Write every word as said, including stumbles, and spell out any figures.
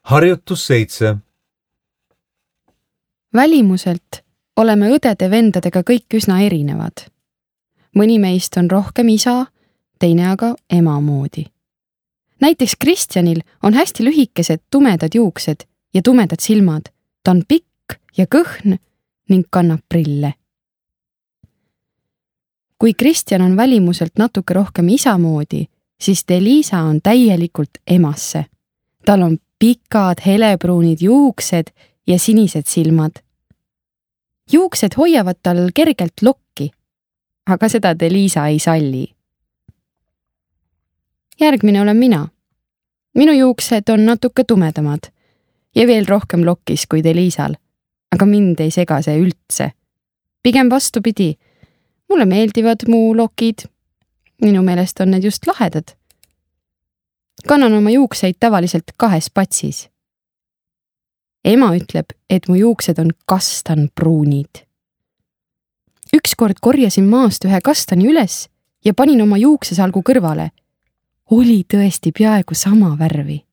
Harjutus seitse. Välimuselt oleme õdede-vendadega kõik üsna erinevad. Mõni meist on rohkem isa, teine aga ema moodi. Näiteks Kristjanil on hästi lühikesed tumedad juuksed ja tumedad silmad. Ta on pikk ja kõhn ning kannab prille. Kui Kristjan on välimuselt natuke rohkem isa moodi, siis Deliisa on täielikult emasse. Tal on pikad helebruunid juuksed ja sinised silmad. Juuksed hoiavad tal kergelt lokki, aga seda Deliisa ei salli. Järgmine olen mina. Minu juuksed on natuke tumedamad ja veel rohkem lokkis kui Deliisal, aga mind ei sega see üldse. Pigem vastupidi, mulle meeldivad mu lokid. Minu meelest on need just lahedad. Kannan oma juukseid tavaliselt kahes patsis. Ema ütleb, et mu juuksed on kastanpruunid. Ükskord korjasin maast ühe kastani üles ja panin oma juuksesalgu kõrvale. Oli tõesti peaaegu sama värvi.